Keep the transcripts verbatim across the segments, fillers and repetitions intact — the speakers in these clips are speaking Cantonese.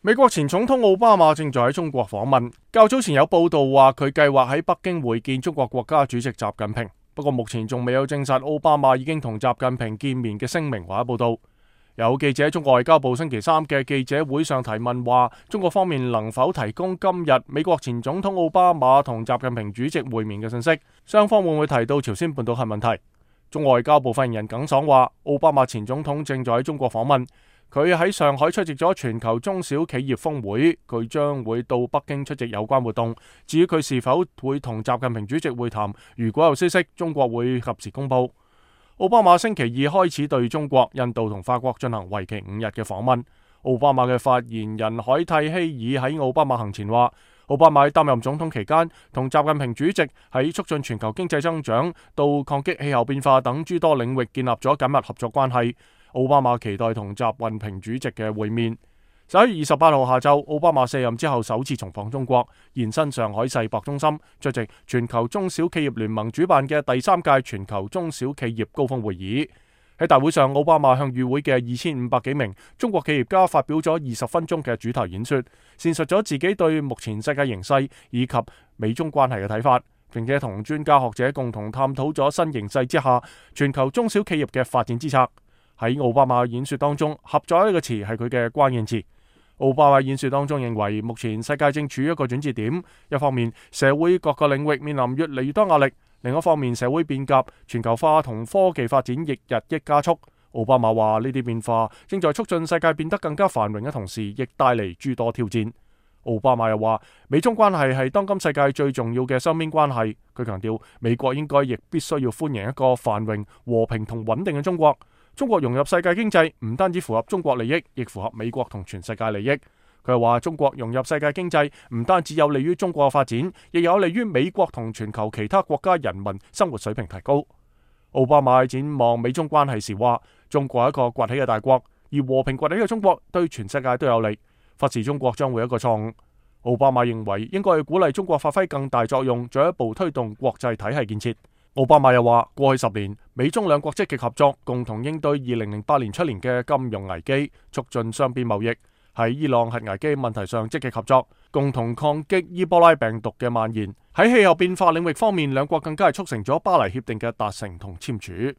美國前總統奧巴馬正在喺中國訪問，較早前有報道話佢計劃喺北京會見中國國家主席習近平，不過目前仲未有證實奧巴馬已經同習近平見面嘅聲明或者報道。有記者喺中國外交部星期三嘅記者會上提問話，中國方面能否提供今日美國前總統奧巴馬同習近平主席會面嘅信息？雙方會唔會提到朝鮮半島核問題？中國外交部發言人耿爽話，奧巴馬前總統正在喺中國訪問。佢喺上海出席咗全球中小企業峰會，佢將會到北京出席有關活動。至於佢是否會同習近平主席會談，如果有消息，中國會及時公佈。奧巴馬星期二開始對中國、印度同法國進行為期五日嘅訪問。奧巴馬嘅發言人凱蒂希爾喺奧巴馬行前話，奧巴馬喺擔任總統期間，同習近平主席喺促進全球經濟增長到抗擊氣候變化等諸多領域建立咗緊密合作關係。奧巴馬期待同習近平主席嘅會面。十一月二十八號下晝，奧巴馬卸任之後首次重訪中國，現身上海世博中心出席全球中小企業聯盟主辦嘅第三屆全球中小企業高峰會議。喺大會上，奧巴馬向與會嘅二千五百幾名中國企業家發表咗二十分鐘嘅主題演說，闡述咗自己對目前世界形勢以及美中關係嘅睇法，並且同專家學者共同探討咗新形勢之下全球中小企業嘅發展之策。喺奧巴馬演說當中，合作呢個詞係佢嘅關鍵詞。奧巴馬演說當中認為，目前世界正處於一個轉折點，一方面社會各個領域面臨越嚟越多壓力，另一方面社會變革、全球化同科技發展亦日益加速。奧巴馬話呢啲變化正在促進世界變得更加繁榮嘅同時，亦帶嚟諸多挑戰。奧巴馬又話，美中關係係當今世界最重要嘅雙邊關係。佢強調，美國應該亦必須要歡迎一個繁榮、和平同穩定嘅中國。中國融入世界經濟唔單止符合中國利益，亦符合美國同全世界利益。佢又話，中國融入世界經濟唔單止有利於中國嘅發展，亦有利於美國同全球其他國家人民生活水平提高。奧巴馬展望美中關係時話，中國係一個崛起嘅大國，而和平崛起嘅中國對全世界都有利。忽視中國將會一個錯誤。奧巴馬認為應該要鼓勵中國發揮更大作用，進一步推動國際體系建設。奧巴馬又話，過去十年，美中兩國積極合作，共同應對二零零八年出年嘅金融危機，促進雙邊貿易；喺伊朗核危機問題上積極合作，共同抗擊伊波拉病毒嘅蔓延。喺氣候變化領域方面，兩國更加係促成咗巴黎協定嘅達成同簽署。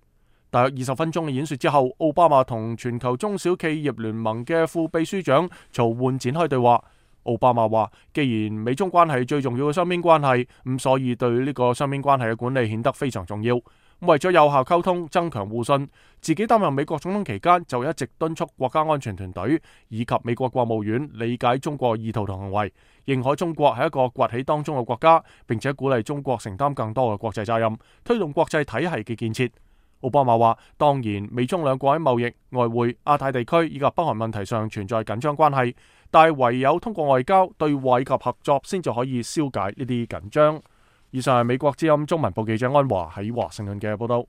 大約二十分鐘嘅演說之後，奧巴馬同全球中小企業聯盟嘅副秘書長曹煥展開對話。奧巴馬話，既然美中關係最重要嘅雙邊關係，咁所以對呢個雙邊關係嘅管理顯得非常重要。為咗有效溝通、增強互信，自己擔任美國總統期間就一直敦促國家安全團隊以及美國國務院理解中國意圖同行為，認可中國係一個崛起當中嘅國家，並且鼓勵中國承擔更多嘅國際責任，推動國際體系嘅建設。奧巴馬話，當然美中兩國喺貿易、外匯、亞太地區以及北韓問題上存在緊張關係，但係唯有通過外交、對話以及合作，先至可以消解呢啲緊張。以上係美國之音中文部記者安華喺華盛頓嘅報道。